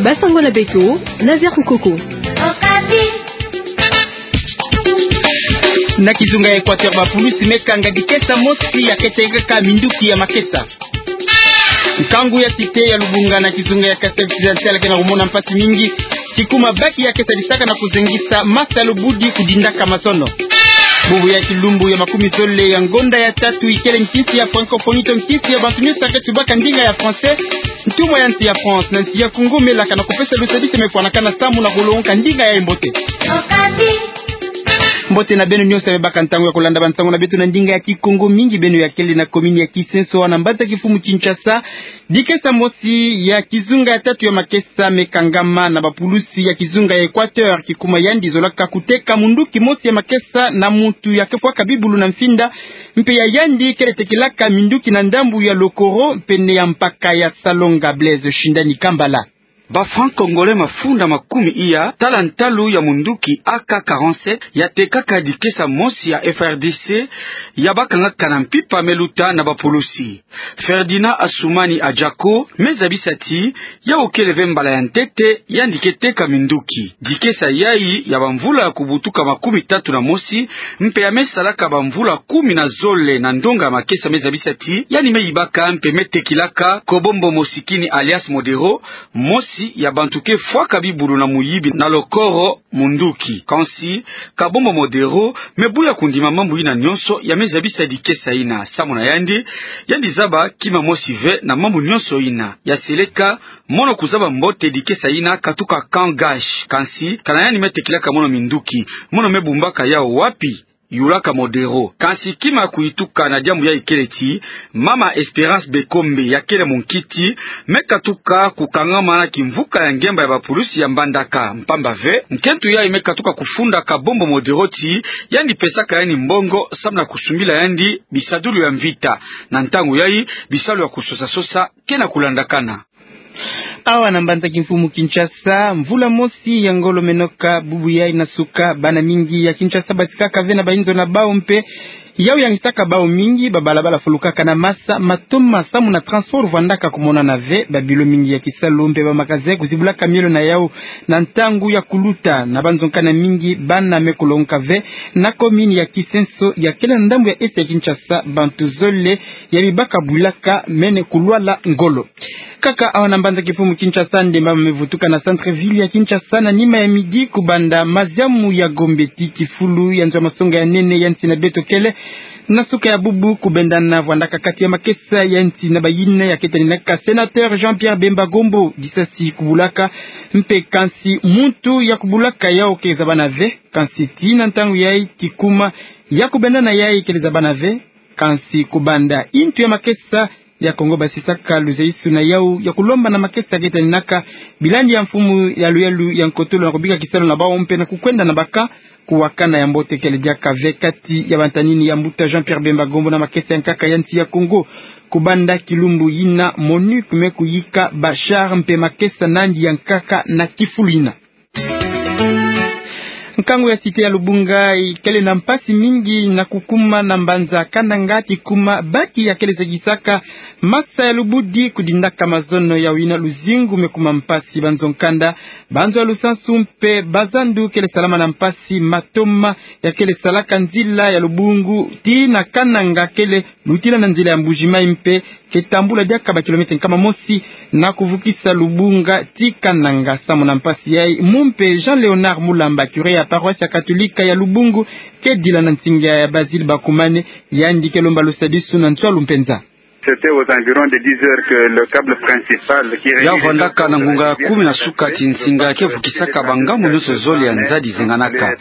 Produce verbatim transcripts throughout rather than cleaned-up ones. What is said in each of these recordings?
Basango na beto, Nazaire Kukoko. Na kizunga ya Equateur, bapulusi me kanga dikesa mosi ya ketekaka minduki ya makesa. Nkangu ya cité ya Lubunga na kizunga ya Kasaï Occidental ke na kumona mpasi mingi, kikuma baki ya kesadisaka na kuzengisa masa lubudi kudindaka mazono. Bubu ya kilumbu ya makumi zole ya ngonda ya tatu ikele nkinsi ya francophonie to nkinsi ya bantu nyonso ke tubaka ndinga ya français, ntumwa ya nsi ya France na nsi ya Congo melaka na kupesa lusadisu me fwanakana samu na kulongoka ndinga ya mbote. Mbote na beno nyonso ya baka ntangu ya kulanda bansango na beto na ndinga ya Kikongo, mingi beno ya kele na commune ya Kisenso na mbanza kimfumu Kinshasa. Dikesa mosi ya kizunga ya tatu ya makesa me kangama na bapulusi ya kizunga ya Equateur, kikuma yandi zolaka kuteka munduki mosi ya makesa na muntu ya ke fwaka bibulu na mfinda, mpe ya yandi kele tekilaka minduki na ndambu ya Lokoro, pene ya mpaka ya Salonga. Blaise Shindani Kambala. Ba franc-congolais mafunda makumi iya tala ntalu ya munduki A K quarante-sept ya tekaka dikesa mosi ya F R D C ya bakangaka na mpimpa me luta na bapulusi. Ferdinand Assoumani Adjako me zabisa ti yau kele ve mbala ya ntete yandi ke teka minduki. Dikesa yayi ya bamvula ya kubutuka makumi tatu na mosi, mpe ya me salaka bamvula kumi na zole na ndonga ya makesa, me zabisa ti yandi me yibaka mpe me tekilaka Kobombo Mosikini alias Modero, mosi ya bantu ke fwaka bibulu na muyibi na Lokoro munduki. Kansi Kabombo Modero me buya kundima mambu yina nyonso, ya me zabisa dikesa yina. Samu na yandi, yandi zaba kima mosi ve na mambu nyonso yina. Ya seleka mono kuzaba mbote dikesa yina katuka Camp Gash. Kansi kana yandi me tekilaka mono minduki, mono me bumbaka yau wapi? Yulaka Modero. Kansi kima kuyituka na diambu yayi kele ti mama Espérance Bekombe, ya kele munkiti, me katuka kukangama na kimvuka ya ngemba ya bapulusi ya Mbandaka, mpamba ve nkento yayi me katuka kufunda Kabombo Modero ti yandi pesaka yandi mbongo samu na kusumbila yandi bisadulu ya mvita. Na ntangu yayi, bisalu ya kusosa-sosa ke na kulandakana. Awa na mbanza kimfumu Kinshasa, mvula mosi ya ngolo me noka bubu yayi na suka, bana mingi ya Kinshasa basikaka ve na bainzo na bau mpe yau yangisaka bau mingi. Babalabala fulukaka na masa, matoma samu na transport vwandaka kumonana ve, babilo mingi ya kisalu mpe bamagasin kuzibulaka mielo na yau na ntangu ya kuluta. Na banzo-nkanda mingi, bana me kulongoka ve. Na commune ya Kisenso ya kele na ndambu ya est ya Kinshasa, bantu zole ya bibaka bwilaka mene kulwala ngolo. Kaka awa na mbanza kimfumu Kinshasa, ndemba me vutuka na centre-ville ya Kinshasa na nima ya midi kubanda maziamu ya Gombe ti kifulu ya nzo ya masonga ya nene ya nsi na beto kele na suka ya bubu, kubendana vwandaka kati ya makesa ya nsi na bayina ya ke taninaka sénateur Jean-Pierre Bemba Gombo disasi kubulaka, mpe kansi muntu ya kubulaka yau ke zabana ve. Kansi tii na ntangu yayi, kikuma ya kubendana yayi kele zabana ve. Kansi kubanda intu ya makesa ya Kongo basisaka luzaisu na yau ya kulomba na makesa ke taninaka bilandi ya mfumu ya luyalu ya nkotolo na kubika kisalu na bau mpe na kukwenda na baka kuwakana ya mbote kele diaka ve kati ya bantanini ya mbuta Jean-Pierre Bemba Gombo na makesa ya nkaka ya nsi ya Kongo. Kubanda kilumbu yina, MONUC me kuyika ba char mpe makesa nandi ya nkaka na kifulu yina. Nkangu ya cité ya Lubunga ikele na mpasi mingi na kukuma na mbanza Kananga, kikuma baki ya kele zegisaka masa ya lubudi kudindaka mazono. Yau yina luzingu me kuma mpasi, banzo-nkanda, banzo ya lusansu mpe bazandu kele salama na mpasi. Matoma ya kele salaka nzila ya Lubunga tii na Kananga kele lutila na nzila ya Mbuji-Mayi mpe ke tambula diaka ba kilomètre nkama mosi na kuvukisa Lubunga tii Kananga. Samu na mpasi yayi, mu mpe Jean Léonard Mulamba, curé ya paroisse ya Katolika ya Lubunga, ke dila na nsinga ya Basile Bakumane, yandi ke lomba lusadisu na nswalu mpenza. C'était aux environs de dix heures que le câble principal qui relie les deux... Ya vwandaka na ngunga ya kumi na suka ti nsinga ke vukisaka bangambu nyonso zole ya nzadi zenganaka.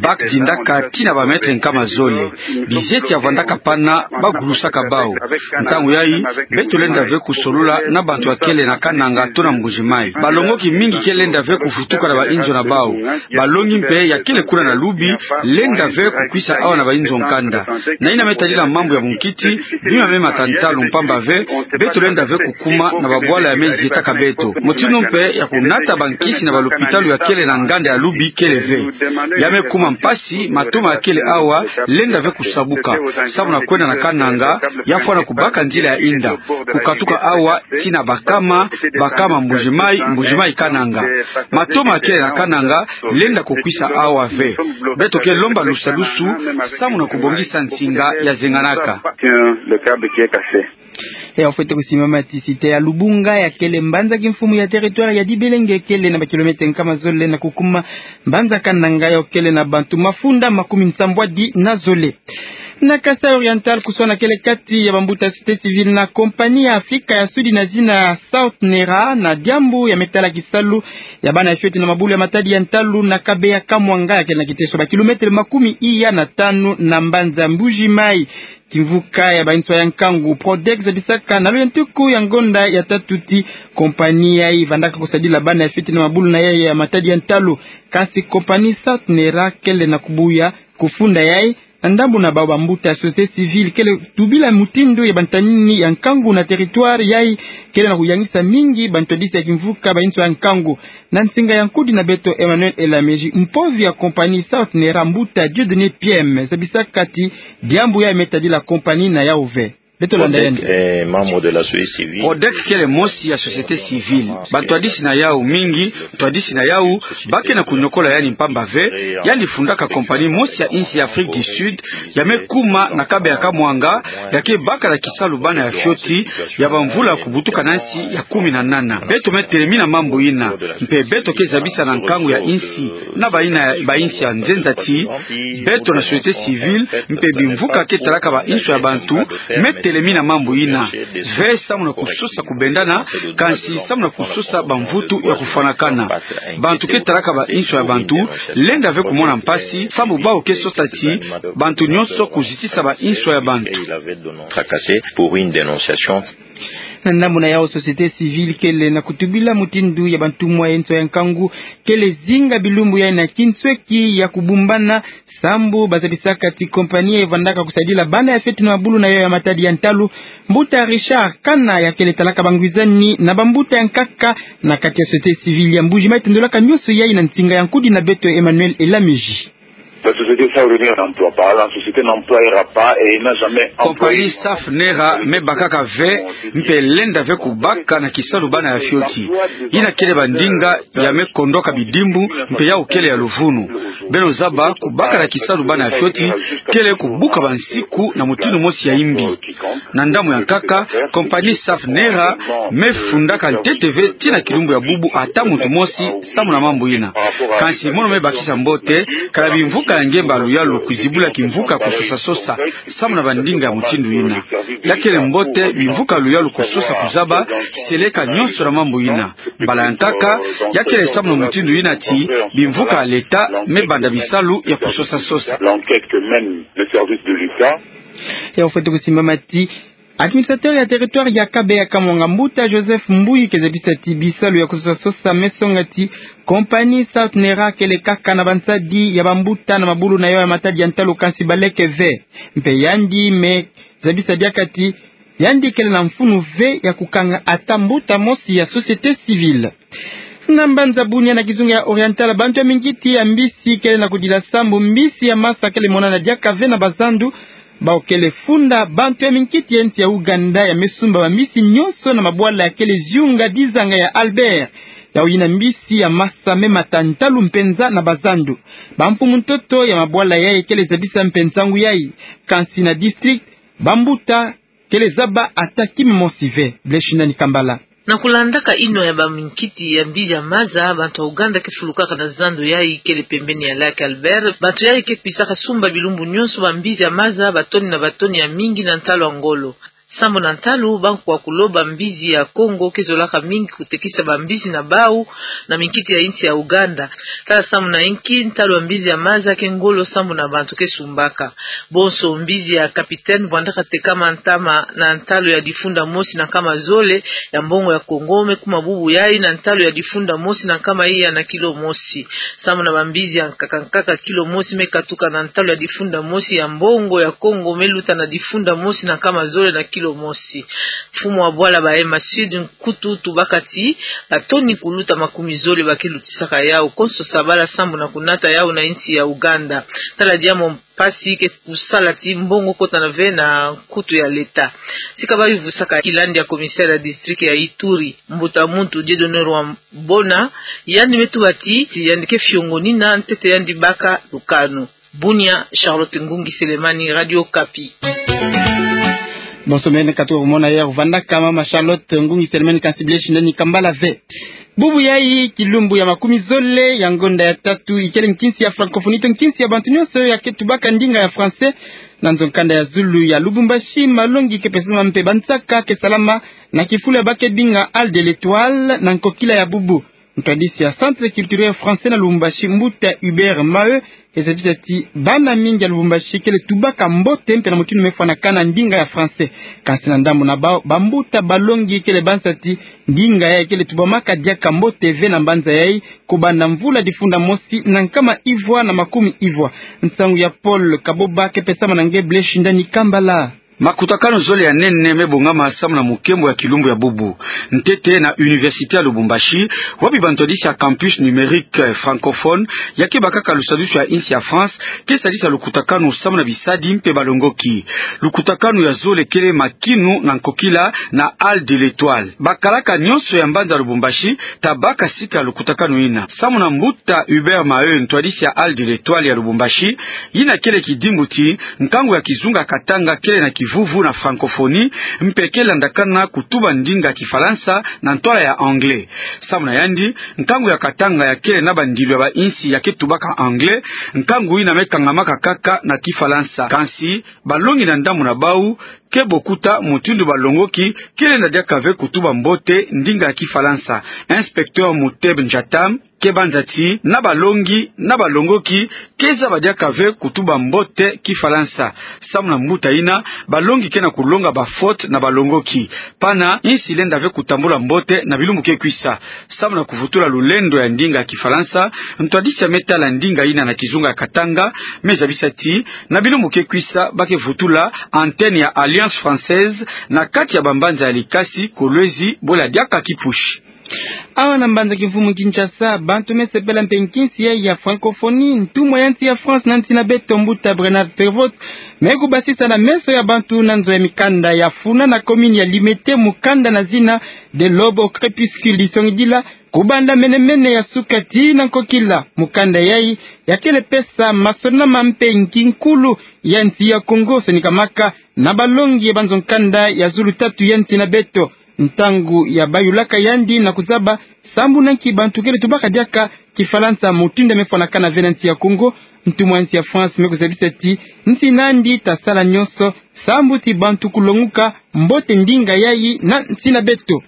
Baki dindaka tii na ba mètre nkama zole. Bizeti ya vwandaka pana, bagulusaka bau. Ntangu yayi, beto lenda ve kusolola na bantu ya kele na Kananga to na Mbuji-Mayi. Balongoki mingi ke lenda ve kuvutuka na bainzo na bau. Balongi mpe ya kele kuna na Lubi lenda ve kukwisa awa na bainzo-nkanda. Na yina me tadila mambu ya bunkiti, bima me mata ntalu Mpamba ve, beto lenda ve kukuma na babwala ya me zietaka beto. Mutindu mpe ya kunata bankisi na balopitalu ya kele na nganda ya Lubi kele ve. Ya me kuma mpasi, matoma ya kele awa lenda ve kusabuka. Samu na kwenda na Kananga, ya fwana kubaka nzila ya inda, kukatuka awa tii na Bakama, Bakama Mbuji-Mayi, Mbuji-Mayi Kananga. Matoma ya kele na Kananga lenda kukwisa awa ve. Beto ke lomba lusadusu samu na kubongisa nsinga ya zenganaka. Ya ofwete kusimama ti site ya Lubunga ya kele mbanza kimfumu ya territoire ya Dibelenge kele na ba kilomètre nkama zole na kukuma mbanza Kananga ya kele na bantu mafunda makumi nsambwadi na zole. Na Kasai Oriental, kuswana kele kati ya bambuta ya société civile na compagnie ya Afrika ya Sudi na zina South Nera na diambu ya me tala kisalu ya bana ya fioti na mabulu ya matadi ya ntalu na Kabeya Kamwanga ya kele na kiteso ba kilomètre makumi iya na tanu na mbanza Mbuji-Mayi. Kimvuka ya banswa ya nkangu Prodex zabisaka na luyantuku ya ngonda ya tatu ti compagnie yayi vandaka kusadila bana ya fioti na mabulu na yayi ya matadi ya ntalu. Kasi compagnie South Nera kele na kubuya kufunda yayi. Na ndambu na bawu, bambuta ya société civile kele tubila mutindu ya bantanini ya nkangu na territoire yayi kele na kuyangisa mingi bantwadisi ya kimvuka banswa ya nkangu. Na nsinga ya nkudi na beto Emmanuel Elamezi, mpovi ya compagnie South Nera, mbuta Dieudonné Piem, zabisaka ti diambu yayi me tadila compagnie na yawu ve. Beto landa yandi. Prodex kele mosi ya société civile. Bantwadisi na yawu mingi, ntwadisi na yawu ba ke na kunyokola yandi mpamba ve yandi fundaka compagnie mosi ya insi ya Afrique du Sud, ya me kuma na Kabeya Kamwanga, ya ke baka na kisalu bana ya fioti ya bamvula kubutuka na nsi ya kumi na nana. Beto me telemi na mambu yina, mpe beto ke zabisa na nkangu ya insi na bayina ya bainsi ya nzenza ti beto na société civile mpe bimvuka ke talaka banswa ya bantu me telemi na mambu yina ve samu na kusosa kubendana, kansi samu na kusosa bamvutu ya kufwanakana. Bantu ke talaka banswa ya bantu lenda ve kumona mpasi, samu bawu ke sosa ti bantu nyonso kuzitisa banswa ya bantu. Na ndambu na yawu, société civile kele na kutubila mutindu ya bantumwa ya nswa ya nkangu kele zinga bilumbu yayi na kinsweki ya kubumbana, sambu bazabisaka ti compagnie yayi vandaka kusadila bana ya fioti na mabulu na yawu ya matadi ya ntalu. Mbuta Richard Kana ya kele talaka bangwizani na bambuta ya nkaka na kati ya société civile ya Mbuji-Mayi tendolaka nyonso yayi na nsinga ya nkudi na beto Emmanuel Elamezi. La société South Nera n'emploie pas, la société n'employera pas et n'a jamais employé. Compagnie South Nera me bakaka ve, mpe lenda ve kubaka na kisalu bana ya fioti. Yina kele bandinga ya me kondoka bidimbu, mpe yawu kele ya luvunu. Beno zaba, kubaka na kisalu bana ya fioti kele kubuka bansiku na mutindu mosi ya imbi. Na ndambu ya nkaka, compagnie South Nera me fundaka ntete ve tii na kilumbu ya bubu ata muntu mosi samu na mambu yina. Kansi mono me bakisa mbote, kana bimvuka ya ngemba ya luyalu kuzibula kimvuka kusosa-sosa samu na bandinga ya mutindu yina. Ya kele mbote bimvuka ya luyalu kusosa kuzaba kiseleka nyonso na mambu yina. Mbala ya nkaka, ya kele samu na mutindu yina ti bimvuka ya leta me banda bisalu ya kusosa-sosa. L'enquête que mène le service de l'État. Ya ofwete kusimbama ti administrateur ya territoire ya Kabeya Kamwanga, mbuta Joseph Mbuyi, ke zabisa ti bisalu ya kusosa-sosa me songa ti compagnie South Nera kele kaka na bansadi ya bambuta na mabulu na yawu ya matadi ya ntalu, kansi baleke ve. Mpe yandi me zabisa diaka ti yandi kele na mfunu ve ya kukanga ata mbuta mosi ya société civile. Na mbanza Bunia na kizunga ya Oriental, bantu ya minkiti ya mbisi kele na kudila sambu mbisi ya masa kele monana diaka ve na bazandu. Bawu kele funda bantu ya minkiti ya nsi ya Ouganda ya me sumba bambisi nyonso na mabwala ya kele ziyunga dizanga ya Albert. Yawu yina mbisi ya masa me mata ntalu mpenza na bazandu. Bamfumu-ntoto ya mabwala yayi kele zabisa mpe nsangu yayi. Kansi na district, bambuta kele zaba ata kima mosi ve. Bleshina ni Kambala. Na kulandaka inwa ya baminkiti ya mbisi ya maza, bantu ya Ouganda ke fulukaka na zandu yayi kele pembeni ya lac Albert. Bantu yayi ke kwisaka sumba bilumbu nyonso bambisi ya maza, batoni na batoni ya mingi na ntalu ya ngolo. Sambu na ntalu, bantu ya kuloba mbisi ya Kongo ke zolaka mingi kutekisa bambisi na bawu na minkiti ya insi ya Ouganda. Tala sambu na inki ntalu ya mbisi ya maza ke ngolo sambu na bantu ke sumbaka. Bonso mbisi ya capitaine bwandaka tekama ntama na ntalu ya difunda mosi na nkama zole ya mbongo ya Kongo, me kuma bubu yayi na ntalu ya difunda mosi na nkama iya na kilo mosi. Sambu na bambisi ya nkaka-nkaka, kilo mosi me katuka na ntalu ya difunda mosi ya mbongo ya Kongo, me luta na difunda mosi na nkama zole na kilo Mosi. Mfumu wa bwala ba M A Sud Nkutu Tubakati, batoni kuluta makumi zole ba ke lutisaka yau konso sabala sambu na kunata yau na insi ya Uganda. Tala diambu mpasi ke kusala ti mbongo kotana ve na nkutu ya leta. Sika ba yuvusaka kilandi ya commissaire ya district ya Ituri, mbuta muntu Dieudonné Rwambona, yandi me tuba ti yandi ke fiongonina ntete yandi baka lukanu. Bunia, Charlotte Ngungi Selemani, Radio Okapi. Bonso mene katuka kumona yau vandaka mama Charlotte Ngungi Selemani, kansi bileshi ndani kambala ve. Bubu yayi, kilumbu ya makumi zole ya ngonda ya tatu, ikele nkinsi ya francophonie to nkinsi ya bantu nyonso ya ke tubaka ndinga ya français. Na nzo nkanda ya zulu ya Lubumbashi, malongi ke pesama mpe bansaka ke salama na kifulu ya ba ke binga Hall de l'Etoile na nkokila ya bubu. Ntwadisi ya Centre Culturel Français na Lubumbashi, mbuta Hubert Maheu, ke zabisa ti bana mingi ya Lubumbashi kele tubaka mbote mpe na mutindu me fwanakana ndinga ya français. Kansi na ndambu na bau, bambuta balongi kele bansa ti ndinga yayi kele tubamaka diaka mbote ve na mbanza yayi, kobanda mvula difunda mosi na nkama ivwa na makumi ivwa. Nsangu ya Paul Kaboba ke pesama na nge, bileshi ndani kambala. Makutakanu zole ya nene me bongama samu na mukembo ya kilumbu ya bubu. Ntete na Université ya Lubumbashi, wapi bantwadisi ya campus numérique, eh, francophone, ya ke bakaka lusadusu ya insi ya France, ke sadisa lukutakanu samu na bisadi mpe balongoki. Lukutakanu ya zole kele makinu na nkokila na Hall de l'Etoile. Bakalaka nyonso ya mbanza Lubumbashi ta baka sika lukutakanu yina. Samu na mbuta Hubert Maheu, ntwadisi ya Hall de l'Etoile ya Lubumbashi, yina kele kidimbu ti nkangu ya kizunga Katanga kele na kivuvu na francophonie, mpe ke landakana kutuba ndinga Kifalansa na ntwala ya anglais. Samu na yandi, nkangu ya Katanga ya kele na bandilu ya bainsi ya ke tubaka anglais, nkangu yina me kangamaka kaka na Kifalansa. Kansi, balongi na ndambu na bau ke bokuta mutindu balongoki ke lenda diaka ve kutuba mbote ndinga ya Kifalansa. Inspecteur Muteb Njatam ke banza ti na balongi na balongoki ke zaba diaka ve kutuba mbote Kifalansa. Samu na mbuta yina, balongi ke na kulonga bafaute na balongoki. Pana insi lenda ve kutambula mbote na bilumbu ke kwisa. Samu na kuvutula lulendo ya ndinga Kifalansa, ntwadisi ya me tala ndinga yina na kizunga ya Katanga me zabisa ti na bilumbu ke kwisa ba ke vutula antenne ya Alliance Française na kati ya bambanza ya Likasi, Kolwezi, Bwela diaka Kipushi. Awa na mbanza kimfumu Kinshasa, bantu me sepela mpe nkinsi yayi ya francophonie. Ntumwa ya nsi ya France na nsi na beto, mbuta Bernard Pervot, me kubasisa na meso ya bantu na nzo ya mikanda ya funa na commune ya Limete mukanda na zina De l'aube au crépuscule, disongidila kubanda mene-mene ya suka tii na nkokila. Mukanda yayi ya kele pesa masonama mpe nki nkulu ya nsi ya Kongo sonikamaka na balongi ya banzo nkanda ya zulu tatu ya nsi na beto. Ntangu ya bayulaka yandi na kuzaba sambu na nki bantu kele tubaka diaka Kifalansa mutindu ya me fwanakana ve na nsi ya Kongo, ntumwa ya nsi ya France me kuzabisa ti nsi na yandi ta sala nyonso sambu ti bantu kulonguka mbote ndinga yayi na nsi na beto.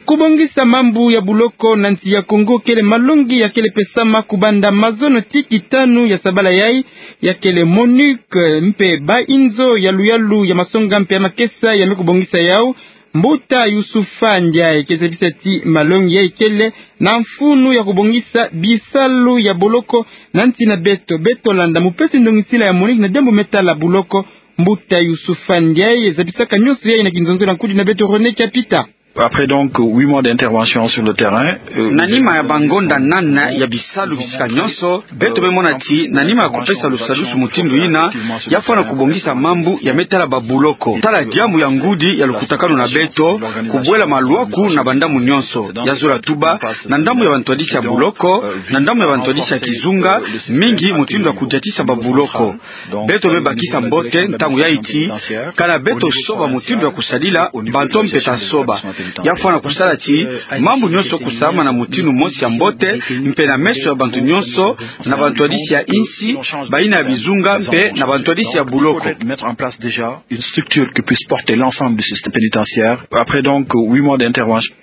Kubongisa mambu ya buloko na nsi ya Kongo kele malongi ya kele pesama kubanda mazono tii tanu ya sabala yayi. Ya kele MONUC mpe ba inzo ya luyalu ya masonga mpe ya makesa ya me kubongisa yau. Mbuta Youssouf Ndiaye ke zabisa ti malongi yayi kele na mfunu ya kubongisa bisalu ya boloko na nsi na beto. Beto landa mupesi ndongisila ya MONUC na diambu me tala buloko. Mbuta Youssouf Ndiaye zabisaka nyonso yayi na kinzonzolo ya nkudi na beto René Kapita. Après donc huit mois d'intervention sur le terrain, euh, na nima ya bangonda nana ya bisalu bisika nyonso, beto me mona ti na nima ya kupesa lusadusu mutindu yina, ya fwana kubongisa mambu ya me tala babuloko. Tala diambu ya ngudi ya lukutakanu na beto, kubwela malwaku na bandambu nyonso. Ya zola tuba, na ndambu ya bantwadisi ya buloko, na ndambu ya bantwadisi ya kizunga, mingi mutindu ya kudiatisa babuloko. Beto me bakisa mbote ntangu yayi ti, kana beto soba mutindu ya kusadila, bantu mpe ta soba. Ya fwana kusala ti mambu nyonso kusamana na mutindu mosi ya mbote, mpe na meso ya bantu nyonso, na bantwadisi ya insi, bayina ya bizunga, mpe na bantwadisi ya buloko. Mettre en place déjà une structure qui puisse porter l'ensemble du système pénitentiaire. Après donc huit mois d'intervention.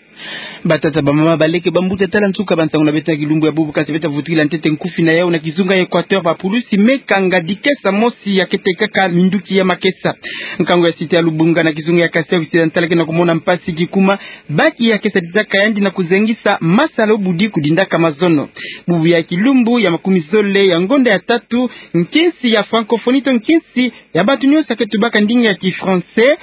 Batata, bamama, baleke, bambuta, tala nsuka bansangu na beto ya kilumbu ya bubu. Kasi beto vutukila ntete nkufi na yau na kizunga ya Équateur, bapulusi me kanga dikesa mosi ya ke tekaka minduki ya makesa. Nkangu ya site ya Lubunga na kizunga ya Kasai Occidental ke na kumona mpasi kikuma, baki ya ke sadisaka yandi na kuzengisa masala o budi kudindaka mazono. Bubu ya kilumbu ya makumi zole ya ngonda ya tatu, nkinsi ya francophonie to nkinsi ya bantu nyonso ya ke tubaka ndinga ya ki français,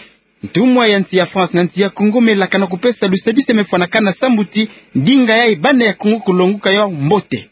Ntumwa ya nsi ya France na nsi ya Kongo melaka na kupesa lusaduseme fwanakana sambuti, ndinga yayi bana ya Kongo kulonguka yau mbote.